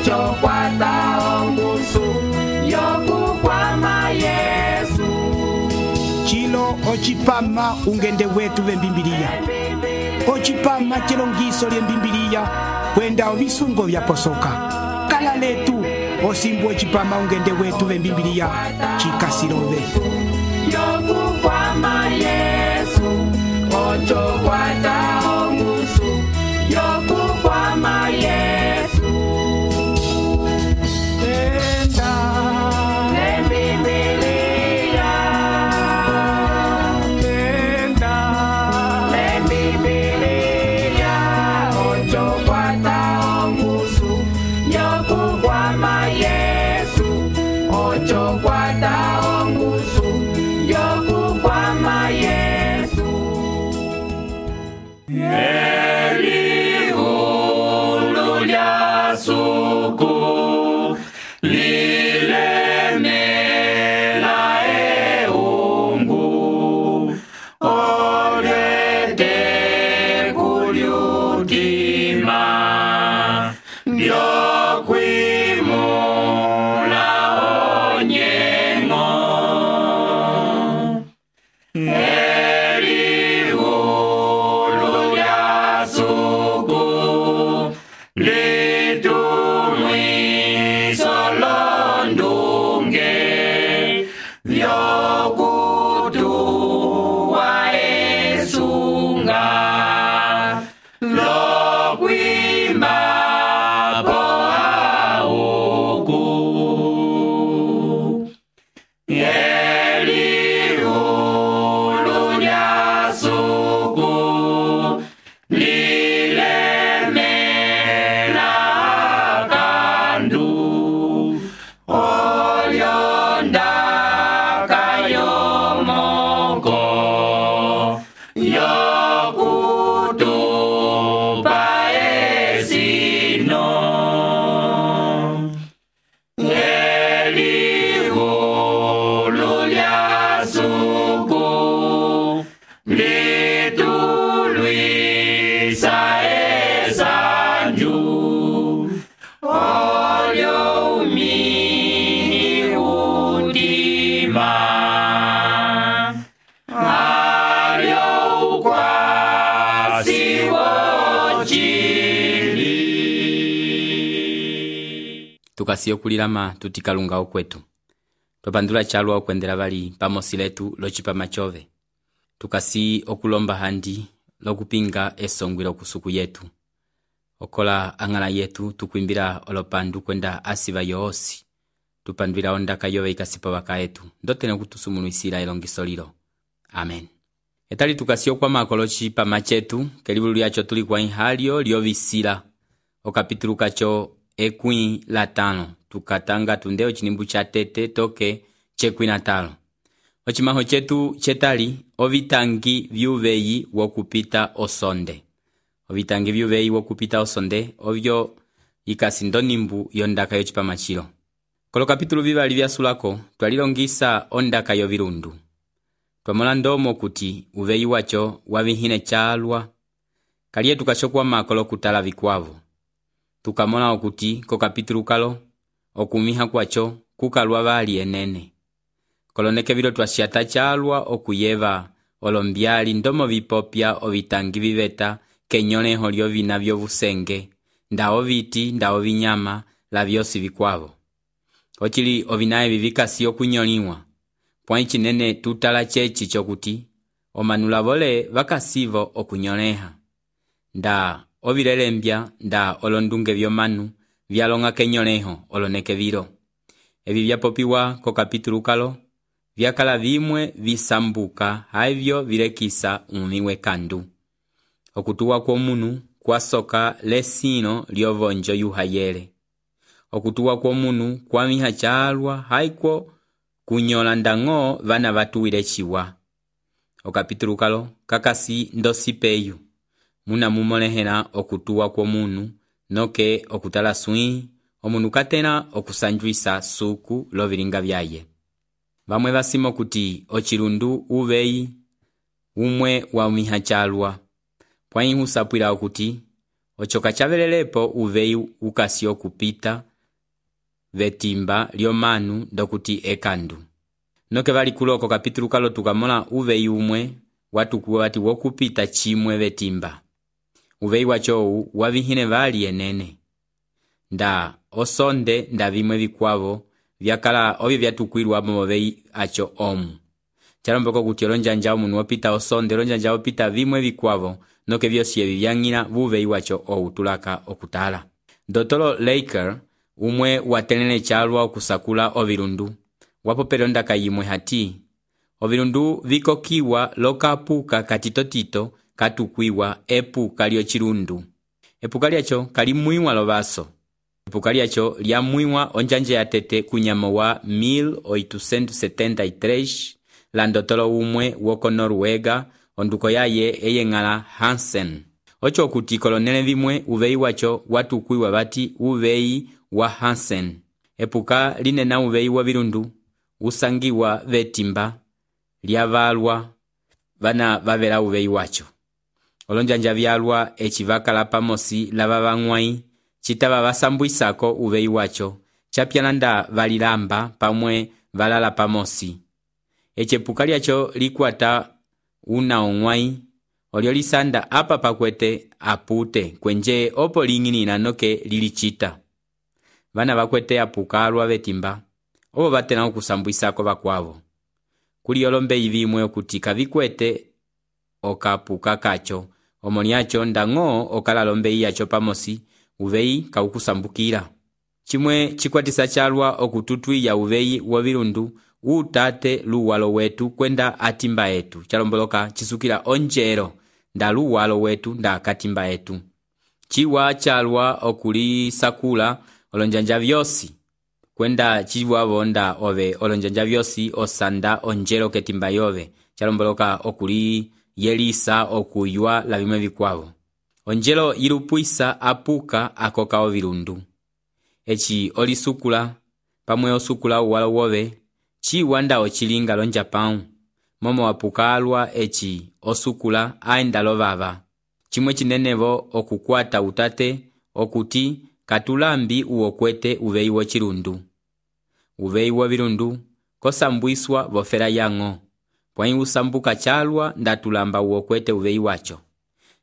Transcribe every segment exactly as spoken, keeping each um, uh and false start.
ocho kwata ongusu yokukwama Yesu. Chilo ochipama ungende wetu vembimbiliya. Ochipama chilongiso lyembimbiliya kwenda ovisungo vyaposoka. Kala letu osimbu ochipama ungende wetu vembimbiliya chikasilove. Yokukwama Yesu, ocho kwata ongusu yokukwama Yesu. Tenda lembimbiliya, tenda lembimbiliya, ocho kwata ongusu yokukwama Yesu, ocho kwata ongusu yokukwama Yesu. Eliulu lya suku lilemela eungu olwete kulyutima byokwimula onyengo. Eliulu lya suku litumwiso londunge vyokutuwa esunga lokwima po auku. Eliulu lya suku lilemela kandu olyondaka yomoko yokutupa esino. Eliulu lya suku litulwisa esanju olyo umi udima alyo ukwasi wochili. Tukasiyo kulilama tutikalunga okwetu. Topandula chalwa okwendela bali pamosi letu lochipama chove. Tukasi okulomba handi lokupinga esongwilo kusuku yetu. Okola angala yetu tukwimbira olopandu kwenda asiba yoosi. Tupandwila ondaka yove ikasipa waka yetu. Ndotene kutusumunu isila ilongiso lilo. Amen. Etali tukasi okwa makolochi pama chetu kelibulu yacho tulikuwa inhalio liovisila. Okapitulu kacho ekwi latano. Tukatanga tundeo chinimbu cha tete toke chekwi natalo. Ochimaho chetu chetali ovitangi vyuveyi wokupita osonde. Ovitangi vyuveyi wokupita osonde ovyo ikasindo nimbu yondaka yochipama chilo. Kolo kapitulu vivali vya sulako twalilongisa ondaka yovirundu. Twamola ndomo kuti uveyi wacho wavihine chalwa. Kaliye tukashokwa makolo kutala vikwavu. Tukamola okuti ko kapitulu kalo okumiha kwacho kukalwa bali enene. Koloneke vilo twashiata chalwa okuyeva olombyali ndomo vipopya ovitangi viveta kenyoleho lyo vina vyovusenge ndao viti ndao vinyama la vyosi vikwavo. Ochili ovinaye vivikasi okunyoliwa. Pwani chinene tutala chechi chokuti omanula vole vakasivo okunyoleha. Nda ovilelembya nda olondunge vyomanu vyalonga kenyoleho oloneke vilo. Evi vyapopiwa ko kapitulu kalo vyakala vimwe visambuka haivyo vilekisa umiwe kandu. Okutuwa kwa munu kwa soka lesino liovonjo yuhayele. Okutuwa kwa munu kwa miha chalwa haiko kunyola ndango vana vatuwile chiwa. Okapitulu kalo kakasi ndosipeyu. Muna mumolehela okutuwa kwa munu noke okutala sui omunu katena okusanjuisa suku lovilinga vyaye. Vamwe vasimo kuti ochilundu uveyi umwe wa umiha chalwa. Pwani husapwila okuti ochoka chavelelepo uveyi ukasi okupita vetimba lyomanu ndokuti ekandu. Noke vali kuloko kapitulu kalo tukamola uveyi umwe watukuwa wati wokupita chimwe vetimba. Uveyi wacho wavihine vali enene. Nda osonde nda vimwe vikwavo vyakala ovyo vyatukwilwa muveyi acho omu. Chalomboko kuti olonjanja omunu wopita osonde olonjanja wopita vimwe vikwavo noke vyosi evi vyang'ina vuveyi wacho ou tulaka okutala. Dotolo Laker umwe watelene chalwa okusakula ovilundu wapopele ondaka yimwe hati ovilundu vikokiwa lokapuka katitotito katukwiwa epuka lyo chilundu. Epuka lyacho kalimwiwa lovaso. Epuka lyacho lyamwiwa onjanje ya tete kunyamo wa mil oitocentos setenta y tres la ndotolo umwe woko Noruega onduko yaye eyeng'ala Hansen. Ocho kuti kolonele vimwe uveyi wacho watukwiwa vati uveyi wa Hansen. Epuka linena uveyi wa vilundu usangiwa vetimba lyavalwa vana vavela uveyi wacho. Olonjanja vyalwa echivakala pamosi lava vang'wai chitava vasambwisako uveyi wacho chapyananda valilamba pamwe valala pamosi. Echepuka lyacho likwata una ong'wai olyo lisanda apa pakwete apute kwenje opo ling'inina noke lilichita. Vana vakwete apuka alwa vetimba obo batena okusambwisako vakwavo. Kuli olombe ivimwe okutika vikwete okapuka kacho omoniacho ndang'o okala lombe yacho pamosi uveyi kaukusambukira. Chimwe chikwatisa chalwa okututwi ya uveyi wavilundu utate luwalo wetu kwenda atimba etu. Chalomboloka chisukila onjero nda luwalo wetu nda katimba etu. Chiwa chalwa okuli sakula olonjanja vyosi kwenda chiwa vonda ove olonjanja vyosi osanda onjero ketimba yove. Chalomboloka okuli yelisa okuywa la vimwe vikwavo. Onjero ilupuisa apuka akoka ovilundu. Echi olisukula pamwe osukula uwalo wove chiwa nda ochilinga lonjapau. Momo apuka alwa echi osukula aenda lovava. Chimwe chinenevo okukwata utate okuti katulambi uokwete uveyi wo chilundu. Uveyi wo vilundu kosambwiswa vofera yang'o. Pwai usambuka chalwa ndatulamba uokwete uveyi wacho.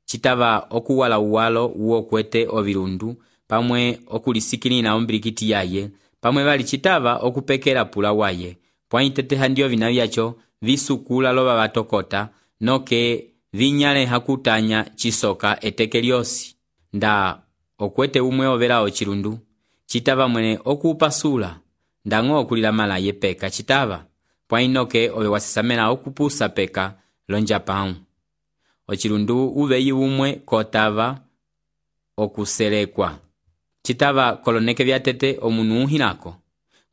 Chitava okuwala uwalo uokwete ovilundu pamwe okulisikilina ombilikiti yaye pamwe vali chitava okupekela pula waye. Pwai teteha ndio vina vyacho visukula loba batokota noke vinyale hakutanya chisoka eteke lyosi. Nda okwete umwe ovela ochilundu chitava mwene okupasula ndang'o okulila mala ye peka chitava pwai noke ove wasisamela okupusa peka lonjapau. Ochilundu uveyi umwe kotava okuselekwa chitava koloneke vyatete omunu uhilako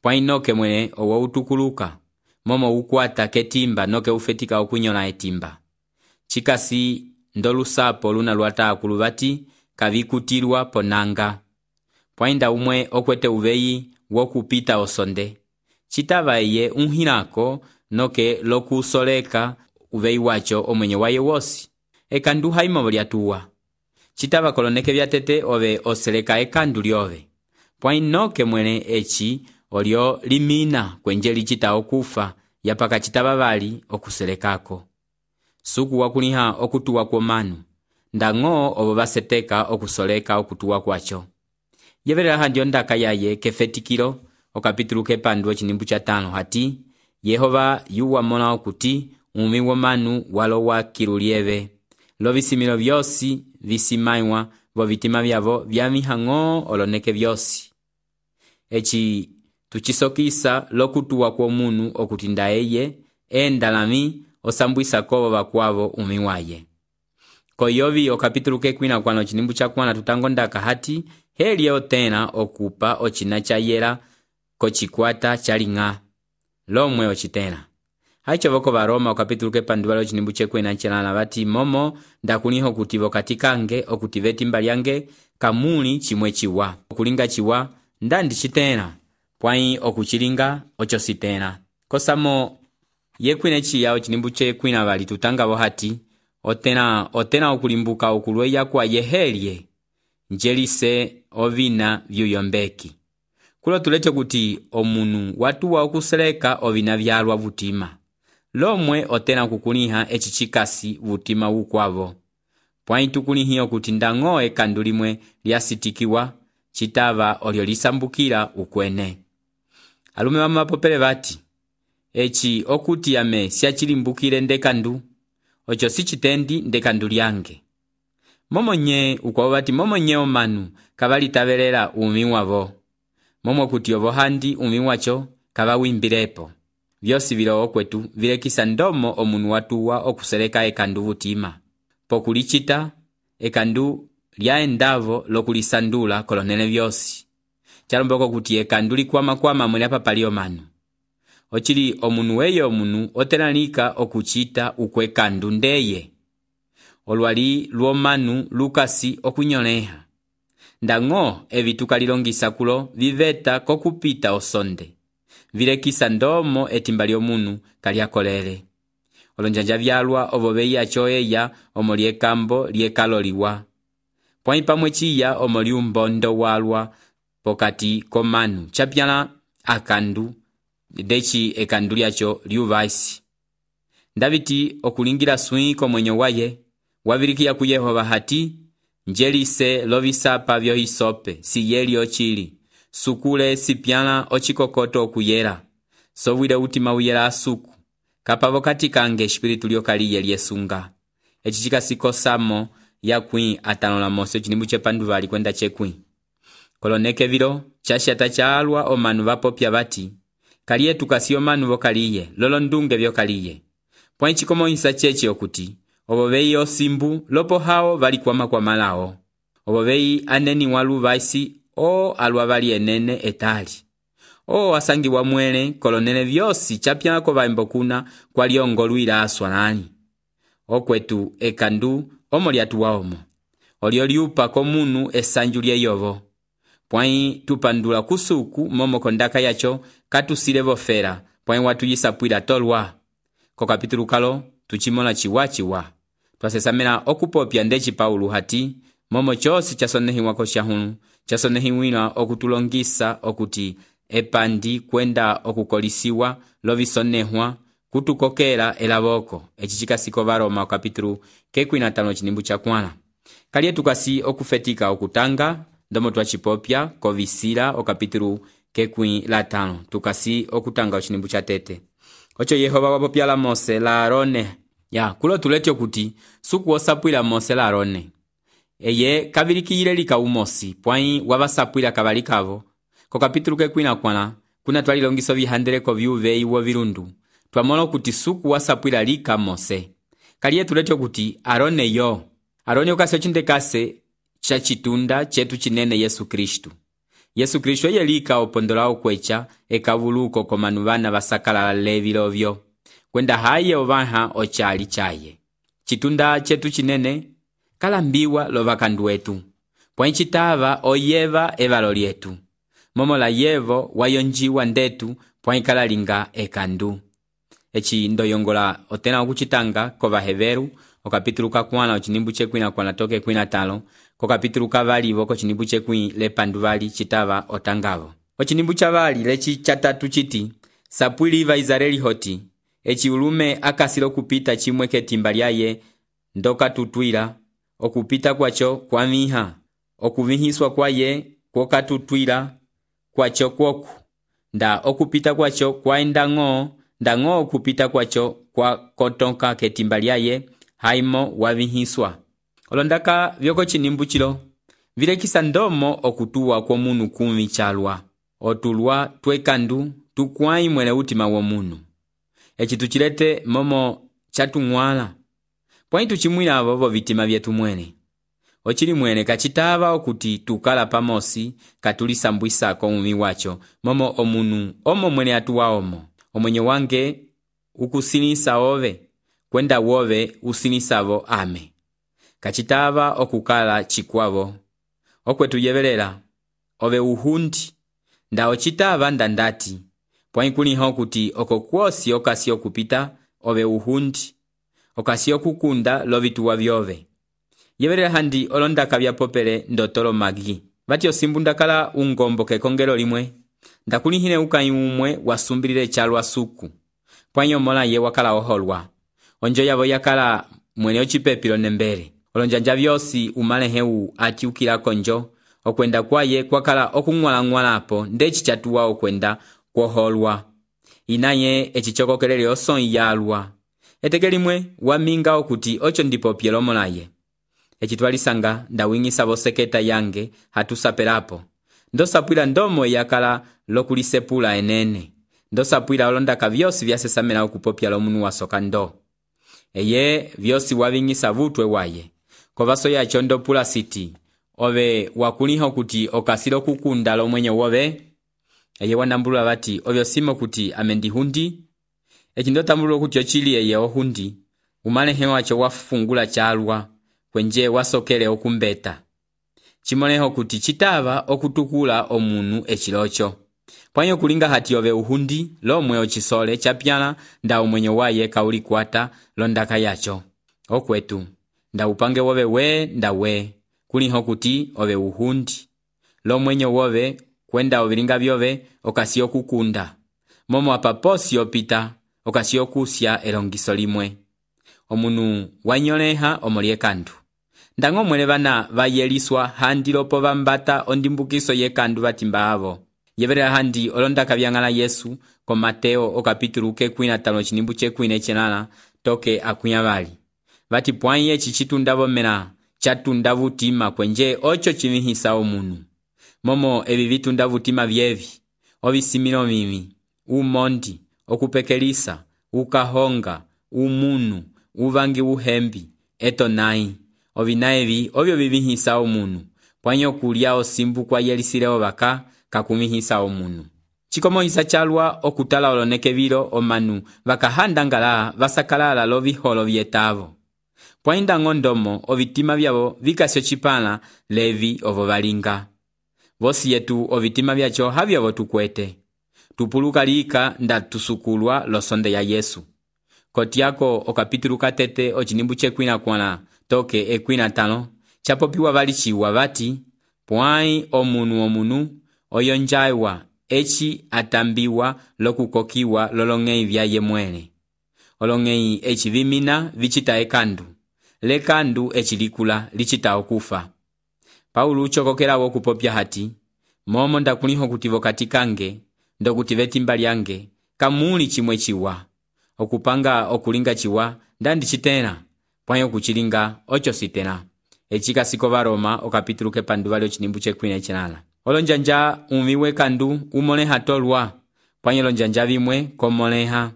pwai noke mwene owo utukuluka momo ukwata ketimba noke ufetika okunyola etimba. Chikasi ndolusapo luna luata akuluvati kavikutilwa ponanga. Pwainda umwe okwete uveyi wokupita osonde chitava eye unhilako noke lokusoleka uveyi wacho omwenye waye wosi. Ekandu haimovo lyatuwa chitava koloneke vyatete ove oseleka ekandu lyove. Pwai noke mwene echi olyo limina kwenje lichita okufa yapaka chitava vali okuselekako. Suku wakuliha okutuwa kwa manu ndang'o obo baseteka okusoleka okutuwa kwacho. Yeverera handio ndaka yaye kefetikilo okapitulu kepandu chinimbu cha tano hati Yehova yuwa mona okuti umi wa manu walo wa kirulieve. Lo visimilo vyosi visimaiwa vo vitima vyavo vyamihang'o oloneke vyosi. Echi tuchisokisa lokutuwa kwa munu okutinda eye endalami osambwisa kobo bakwavo umi waye. Koyovi okapitulu kekwina kwano chinimbu cha kwana tutango ndaka hati heli otena okupa ochina cha yela kochikwata chalinga lomwe ochitena. Haicho voko varoma okapitulu kepanduwalo chinimbu chekwena nchelana vati momo ndakuniho kutivo katikange okutiveti mbalyange kamuli chimwe chiwa. Okulinga chiwa ndandi chitena pwai okuchilinga ocho sitena. Kosamo yekwine chiyao chinimbu chekwina vali tutangavo hati otena otena okulimbuka okulweya kwa yehelie njelise ovina vyuyombeki. kulo tulete kuti omunu watuwa okuseleka ovina vyalwa vutima lomwe otena kukuliha eci cikasi vutima ukwavo pwai tukulihiwa kuti ndang'o ekandu limwe lyasitikiwa citava olyo lisambukila ukwene. Alume vamapopele vati eci okuti yame siachilimbukile ndekandu ocho sicitendi ndekandu lyange. Momonye ukwavo vati momonye omanu kavalitavelela umi wavo momwe kuti ovo handi umi wacho kavawimbilepo. Vyosi vilo okwetu vilekisa ndomo omunu watuwa okuseleka ekandu vutima pokulicita ekandu lyaendavo lokulisandula kolonele vyosi chalomboko kuti ekandu likwama kwama mwene papali omanu ochili omunu weye omunu otenalika okuchita ukwekandu ndeye olwali lwomanu lukasi okunyoleha ndang'o evi tukalilongisa kulo viveta kokupita osonde vilekisa ndomo etimba lyomunu kalyakolele olonjanja vyalwa ovo veya choeya omo liekambo liekaloliwa pwai pamwe chiya omo liumbondo walwa pokati komanu chapyala akandu dechi ekandu lyacho liuvaisi ndaviti okulingira swi komwenyo waye wavilikiya ku Yehova hati njelise lovisapa vyo hisope si yeli ochili sukule sipyala ochikokoto okuyela sovwile utima uyela asuku kapavo kati kange espiritu lyokaliye lyesunga eci cikasikosamo yakwi atano la mose cinimbu cepandu vali kwenda cekwi koloneke vilo chashata chaalwa omanu vapopya vati kaliye tukasi omanu vokaliye lolo ndunge vyokaliye pwai cikomohisa cheche okuti ovo vei osimbu lopo hao vali kwama kwa malao ovo vei aneni walu vaisi o alwa vali enene etali o asangi wa mwele kolonele vyosi chapyako vaimbo kuna kwa liongolwila aswalani okwetu ekandu omo lyatuwa omo olio liupa komunu esanju lyeyovo pwai tupandula kusuku momo kondaka yacho katusile vofera pwai watu yisapwila tolwa ko kapitulu kalo tuchimola chiwa chiwa twasesamela okupopya ndeci Paulo hati momo chosi chasonehiwa ko shahunu chasonehiwila okutulongisa okuti epandi kwenda okukolisiwa lovisonehwa kutukokela elavoko eci cikasiko varoma kapitulu kekwi na tano cinimbu chakwala kaliye tukasi okufetika okutanga ndomo twachipopya kovisila okapitulu kekwi la tano tukasi okutanga ocinimbu cha tete ocho Yehova wapopya la Mose la Arone ya kulo tulete okuti suku osapwila Mose la Arone eye kavilikiyile lika umosi pwai wavasapwila kavalikavo ko kapitulu kekwi na kwana kuna twalilongiso vihandeleko vyuve iwo virundu twamola okuti suku wasapwila lika Mose kaliye tulete okuti Arone yo Arone okasi ocindekase cha chitunda chetu chinene Yesu Kristu Yesu Kristu eye lika opondola okwecha ekavuluko komanu vana vasakala levi lovyo kwenda haye ovaha ochali chaye chitunda chetu chinene kalambiwa lovakandu wetu pwai chitava oyeva evalo lyetu momo la yevo wayonjiwa ndetu pwai kalalinga ekandu eci ndoyongola otena okuchitanga kovaheveru okapitulu kakwana ocinimbu cekwi na kwana toke kwi na talo ko kapitulu kavalivo ko cinimbu cekwi lepandu vali chitava otangavo ocinimbu chavali leci chatatu chiti sapwili va Israeli hoti eci ulume akasilo kupita chimwe ketimba lyaye ndoka tutwila okupita kwacho kwa miha okuvihiswa kwaye kwoka tutwila kwacho kwoku nda okupita kwacho kwa endang'o ndang'o okupita kwacho kwa kotonka ketimba lyaye haimo wavihiswa olondaka vyoko cinimbu chilo vilekisa ndomo okutuwa kwa munu kumi chalwa otulwa twekandu tukwai mwele utima wa munu eci tuchilete momo chatung'wala pwai tuchimwila avovo vitima vyetu mwene ochili mwene kachitava okuti tukala pamosi katulisambwisa ko mumi wacho momo omunu omo mwene atuwa omo omwenye wange ukusinisa ove kwenda wove usinisavo ame kachitava okukala chikwavo okwetu yevelela ove uhundi nda ochitava ndandati pwai kuliha okuti oko kwosi okasi okupita ove uhundi okasi okukunda lovituwa vyove yevelela handi olondaka vyapopele ndotolo magi vati osimbu ndakala ungombo kekongelo limwe ndakulihile ukãyi umwe wasumbilile calwa suku pwanyi omola ye wakala oholwa onjo yavo yakala mwene ocipepilo nembele olonjanja vyosi umaleheu atiukila konjo okwenda kwaye kwakala okung'wala-ng'walapo ndeci catuwa okwenda kwoholwa inaye eci cokokelele osõyi yalwa eteke limwe waminga okuti oco ndipo pyelomolaye eci twalisanga ndawing'isa voseketa yange hatusapelapo ndosapwila ndomo yakala lokulisepula enene ndosapwila olondaka vyosi vyasesamela okupopya lomunu wasoka ndo eye vyosi waving'isa vutwe waye kovaso yaco ndopula siti ove wakuliha okuti okasile okukunda lomwenyo wove eye wanambulula vati ovyo simo kuti amendihundi eci ndotambulula okuti ocili eye ohundi umalehe waco wafungula calwa kwenje wasokele okumbeta cimoleho kuti citava okutukula omunu eciloco pwanyo kulinga hati ove uhundi lomwe ocisole capyala nda umwenyo waye kaulikwata londaka yaco okwetu nda upange wove we nda we kuliho kuti ove uhundi lomwenyo wove kwenda ovilinga vyove okasi okukunda momo apa posi opita okasi okusya elongiso limwe omunu wanyoleha omolye kandu ndang'o mwele vana vayeliswa handi lopo vambata ondimbukiso yekandu vatimba avo yeverera handi olondaka vyang'ala Yesu ko Mateo okapitulu kekwi na tano cinimbu cekwi necenala toke akunya vali vati pwanyi eci citundavo mela catunda vutima kwenje oco civihisa omunu momo evi vitunda vutima vyevi ovisimilo mimi umondi okupekelisa ukahonga umunu uvangi uhembi eto nai ovina evi ovyo vivihisa omunu pwanyi okulya osimbu kwa yelisile vaka kakumihisa omunu cikomohisa calwa okutala oloneke vilo omanu vakahanda ngala vasakalala loviholo vyetavo pwanyi ndang'o ndomo ovitima vyavo vikasi ocipala levi ovo valinga vosi yetu ovitima vyaco havyovo tukwete tupuluka lika nda tusukulwa losonde ya Yesu kotiako okapitulu katete ocinimbu cekwina kwana toke ekwina tano capopiwa valiciwa vati pwanyi omunu omunu oyonjaiwa eci atambiwa lokukokiwa lolong'ei vyaye mwele olong'ei eci vimina vicita ekandu lekandu eci likula licita okufa Paulo ucokokela okupopya hati momo ndakuliho kuti vokati kange ndokuti vetimba lyange kamuli cimwe ciwa okupanga okulinga ciwa ndandicitela pwanyi okucilinga oco sitela eci kasiko varoma okapitulu kepandu vali ocinimbu cekwina ecenala olonjanja umiwe kandu umoleha tolwa pwanyi olonjanja vimwe komoleha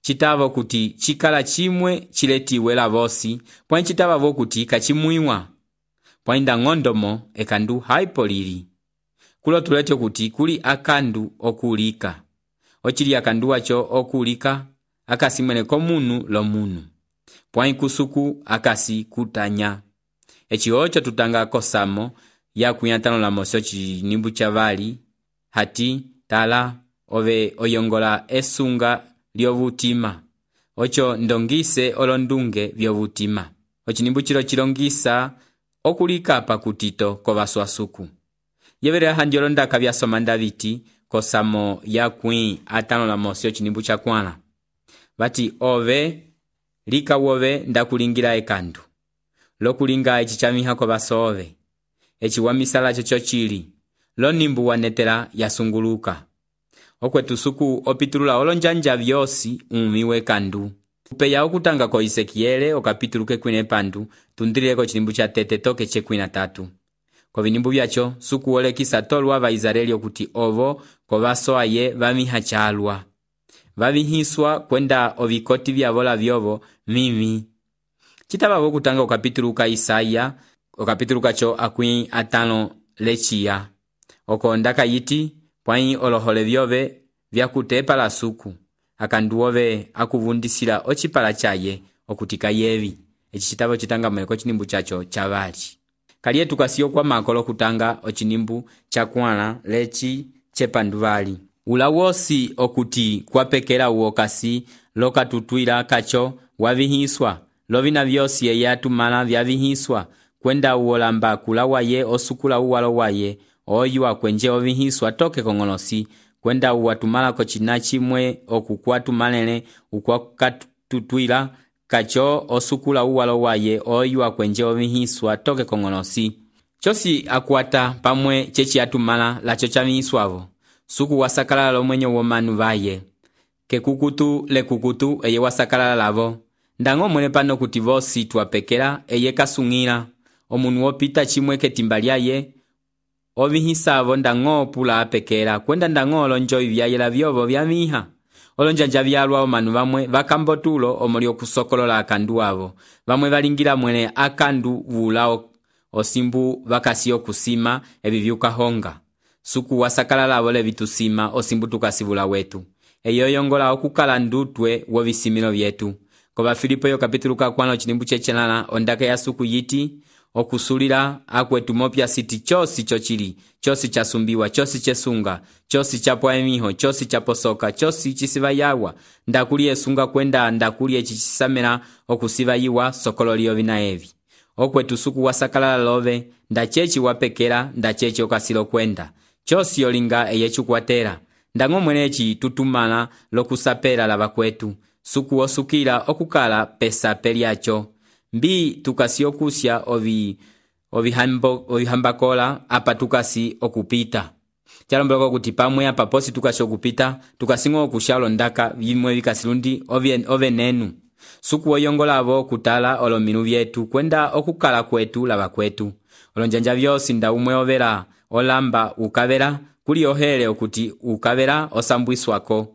citava kuti cikala cimwe ciletiwe la vosi pwanyi citava vo kuti kacimuiwa pwanyi ndang'ondomo ekandu haipo lili kulo tulete kuti kuli akandu okulika ocili akandu waco okulika akasi mwene komunu lomunu pwanyi kusuku akasi kutanya eci oco tutanga kosamo ya kuyantano la mosi ocinimbu cavali hati tala ove oyongola esunga lyovutima oco ndongise olondunge vyovutima ocinimbu cilo cilongisa okulika pakutito kovaswasuku yeverera handi olondaka vyasoma ndaviti kosamo ya kwi atano la mosi ocinimbu cakwala vati ove lika wove ndakulingila ekandu lokulinga eci camiha kovaso ove eci wamisala coco cili lonimbu wanetela yasunguluka okwetu suku opitulula olonjanja vyosi umiwe kandu upeya okutanga ko Isekiele okapitulu kekwine pandu tundileko cinimbu ca tete toke cekwina tatu kovinimbu vyaco suku olekisa tolwa vaisraeli okuti ovo kovaso aye vamiha calwa vavihiswa kwenda ovikoti vyavola vyovo mimi citava vokutanga okapitulu ka Isaya okapitulu kaco akwi atano leciya oko ndaka yiti pwanyi olohole vyove vyakutepala suku akandu ove akuvundisila ocipala caye okutika yevi eci citava citanga mweleko cinimbu caco cavali kaliye tukasiyo kwa makolo kutanga ocinimbu cakwala leci cepandu vali ula wosi okuti kwapekela uokasi lokatutwila kaco wavihiswa lovina vyosi ye yatumala vyavihiswa kwenda uolamba kula waye osukula uwalo waye oyua kwenje ovihiswa toke kong'olosi kwenda uwatumalako cina cimwe okukwatumalele ukwakatutwila kacho osukula uwalo waye oyua kwenje ovihiswa toke kong'olosi. Chosi akwata pamwe chechi atumala lacho chavihiswavo suku wasakalala lomwenyo womanu vaye kekukutu lekukutu eye wasakalala lavo ndango mwene pano kuti vosi tuwapekela eye kasungila omunu wopita chimwe ketimba lyaye ovihisavo ndango pula apekela kwenda ndango olonjo ivyayela vyovo vyamiha olonjanja vyalwa omanu vamwe vakambotulo omuli okusokolola akandu avo vamwe valingila mwene akandu vula osimbu vakasi okusima evi vyukahonga suku wasakalala avole vitusima osimbu tukasivula wetu eyo yongola okukala ndutwe wovisimilo vyetu. Kova Filipo yo kapitulu kakwano chinimbu chechenala ondaka ya suku yiti okusulila akwetu mopya siti chosi chochili chosi chasumbiwa chosi chesunga chosi chapo emiho chosi chaposoka chosi chisiva yawa ndakuli esunga kwenda ndakuli echichisamela okusiva yiwa sokololio vina evi okwetu suku wasakalala love ndachechi wapekela ndachechi okasilo kwenda chosi yolinga eyechukwatela ndango mwenechi tutumala lokusapela lava kwetu suku osukila okukala pesa pelyacho mbi tukasi okusya ovi ovihambo ovihambakola apa tukasi okupita chalombeloko kuti pamwe apa posi tukasi okupita tukasingo okushalo ndaka vimwe vikasilundi ovenenu suku oyongolavo kutala olominu vyetu kwenda okukala kwetu lava kwetu olonjanja vyosi nda umwe ovela olamba ukavela kuli ohele okuti ukavela osambwiswako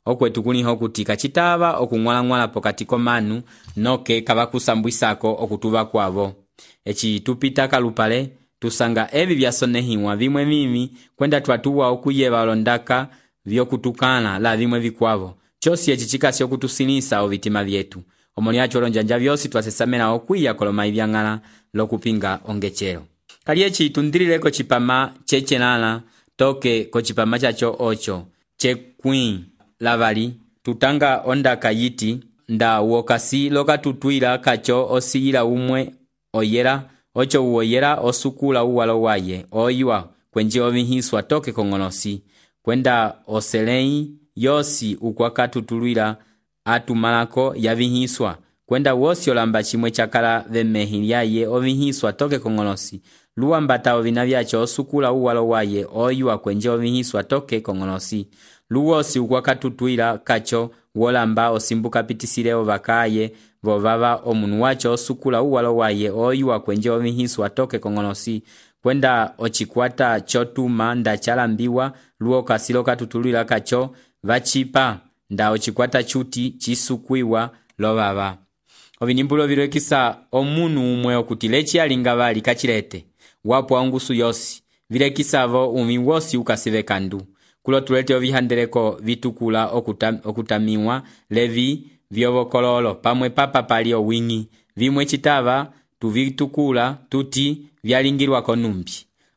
okwetu kuliho kuti kachitava okung'wala-ng'wala pokati komanu noke kavakusambwisako okutuva kwavo echi tupita kalupale tusanga evi vyasonehiwa vimwe mimi kwenda twatuwa okuyeva olondaka vyokutukana la vimwe vikwavo chosi echi chikasi okutusilisa ovitima vyetu omoni acho olonjanja vyosi twasesamela okwiya koloma ivyang'ala lokupinga ongechero kali echi tundilileko chipama chechenala toke kochipama chacho ocho chekwii lavali tutanga ondaka yiti nda wokasi lokatutwila kacho osiyila umwe oyera ocho uoyera osukula uwalo waye oyua kwenje ovihiswa toke kong'olosi kwenda oselei yosi ukwakatutulwila atumalako yavihiswa kwenda wosi olamba chimwe chakala vemehi lyaye ovihiswa toke kong'olosi luwambata ovina vyacho osukula uwalo waye oyua kwenje ovihiswa toke kong'olosi luwosi ukwakatutwila kacho wolamba osimbuka pitisile vakaye vovava omunu wacho osukula uwalo waye oyua kwenje ovihiswa toke kong'olosi kwenda ochikwata chotuma nda chalambiwa luo kasilo katutulwila kacho vachipa nda ochikwata chuti chisukwiwa lovava ovinimbulo vilekisa omunu umwe okuti lechi alinga vali kachilete wapo angusu yosi vilekisavo umi wosi ukasive kandu kulo tulete ovihandeleko vitukula okutam, okutamiwa levi vyovokololo pamwe papa pali owingi vimwe chitava tuvitukula tuti vyalingilwa konumbi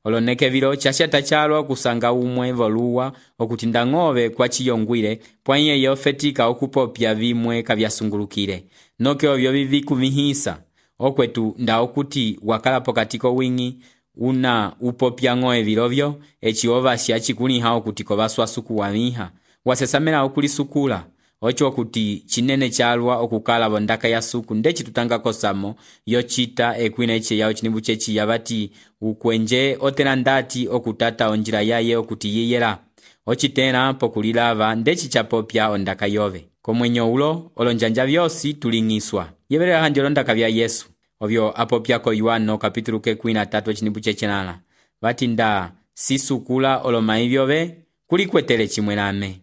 oloneke vilo chashata chalo kusanga umwe voluwa okuti ndang'ove kwa chiyongwile pwanye yofetika okupopya vimwe kavyasungulukile noke ovyo vivikuvihisa okwetu nda okuti wakala pokatiko wingi una upopya ng'oe vilovyo echi ovasya chikuliha okuti kovaswasuku wamiha wasesamela okulisukula ocho okuti chinene chalwa okukala vondaka ya suku ndechi tutanga kosamo yochita ekwina eche yao chinimbu chechi yavati ukwenje otela ndati okutata onjila yaye okuti yiyela ochitela pokulilava ndechi chapopya ondaka yove komwenyo ulo olonjanja vyosi tuling'iswa yevelela handi olondaka vya Yesu ovyo apopyako Yohano kapitulu kekwina tatu chinimbu chechenala vati nda sisukula oloma ivyove kulikwetele chimwe name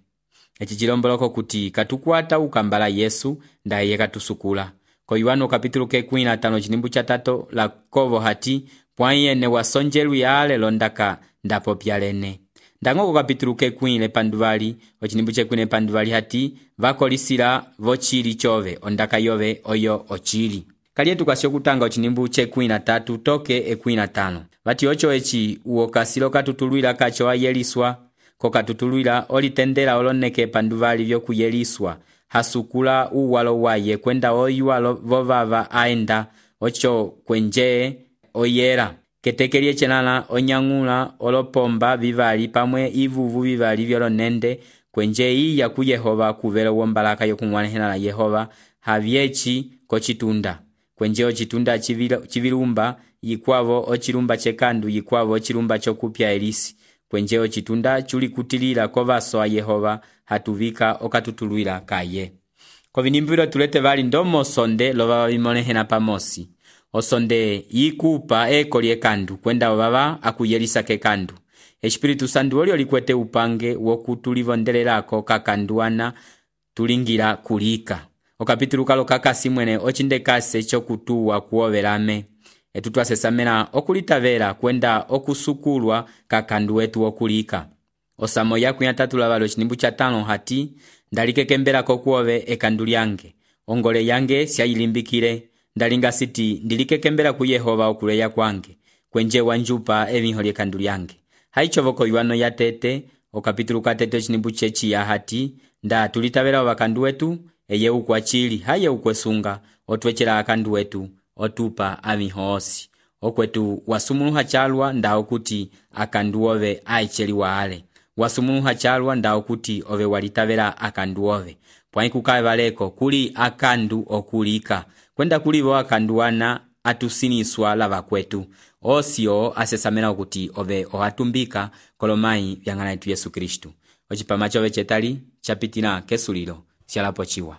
echi chilomboloko kuti katukwata ukambala Yesu ndaye katusukula ko Yohano kapitulu kekwina tano chinimbu cha tato la kovo hati pwanyene wasonjelu yale londaka ndapopya lene ndangoko kapitulu kekwile panduvali ochinimbu chekwine panduvali hati vakolisila vochili chove ondaka yove oyo ochili kaliye tukasyo kutanga ochinimbu chekwina tatu toke ekwina tano vati ocho echi uokasilo katutulwila kacho ayeliswa kokatutulwila olitendela oloneke panduvali vyokuyeliswa hasukula uwalo waye kwenda oyua vovava aenda ocho kwenje oyera keteke lyechelala onyang'ula olopomba vivali pamwe ivuvu vivali vyolonende kwenje iya ku Yehova kuvela wombalaka yokung'wanihela la Yehova havyechi kochitunda kwenje ochitunda chivilumba yikwavo ochilumba chekandu yikwavo ochilumba chokupya elisi kwenje ochitunda chuli kutilila kovaso a Yehova hatuvika okatutulwila kaye kovinimbwilo tulete vali ndomo sonde lova vimonehena pamosi osonde yikupa eko lyekandu kwenda ovava akuyelisa kekandu Espiritu Santu olio likwete upange wokutulivondelelako kakanduana tulingira kulika okapitulu kalo kakasi mwene ochindekase chokutuwa kuovelame etu twasesamela okulitavela kwenda okusukulwa kakandu wetu okulika osamo yaku yatatula valo chinimbu cha tano hati ndalikekembela kokuove ekandu lyange ongole yange syayilimbikile ndalinga siti ndilikekembela ku Yehova okuleya kwange kwenje wanjupa evinho lyekandu lyange haichovoko yuano ya tete okapitulu katete chinimbu chechi ya hati nda tulitavela wakandu wetu eye ukwachili haye ukwesunga otwechela akandu wetu otupa avinho osi okwetu wasumuluha chalwa nda okuti akandu ove aicheliwa ale wasumuluha chalwa nda okuti ove walitavela akandu ove pwai kukae valeko kuli akandu okulika kwenda kulivo akanduana atusiniswa lava kwetu osio asesamela okuti ove ohatumbika kolomai vyang'ana yetu Yesu Kristu ochipama chove chetali chapitila kesulilo syalapo chiwa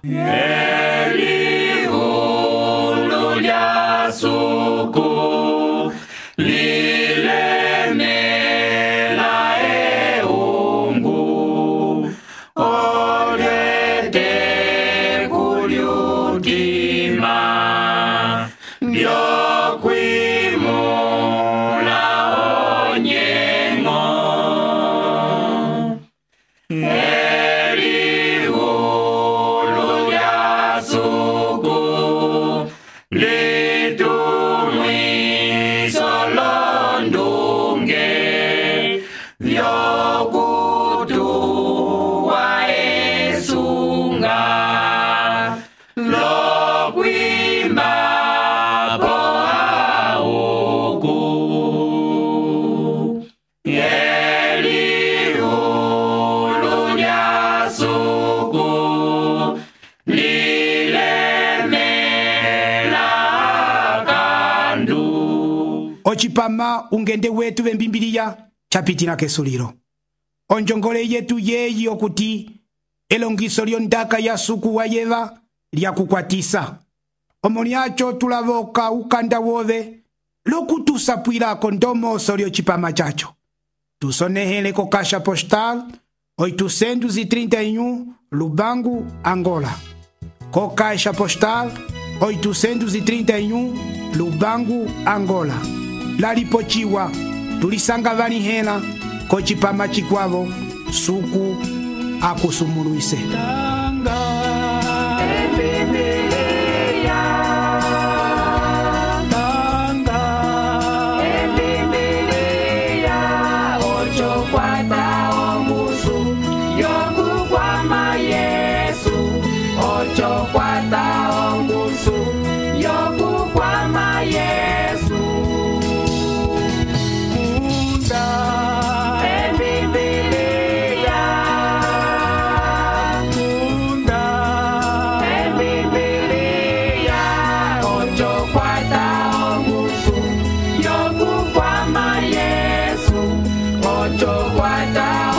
Elihulu lya suku lilemela eungu olete kulyutima byokwimula onyengo Elihulu lya suku litumwiso londunge vyokutuwa esunga lokwimba poauku Elihulu lya suku lilemela kandu ochipama ungende wetu vembimbiliya chapitila kesulilo onjongole yetu yeyi okuti elongiso lyondaka ya suku wa yeva lyakukwatisa omo lyacho tulavoka ukanda wove lokutusapwilako ndomoso lyocipama chacho tusonehele ko caixa postal oitocentos e trinta e um Lubango, Angola ko caixa postal oitocentos e trinta e um Lubango, Angola lalipochiwa tulisanga valihela ko cipama chikwavo suku akusumuluise Ocho guarda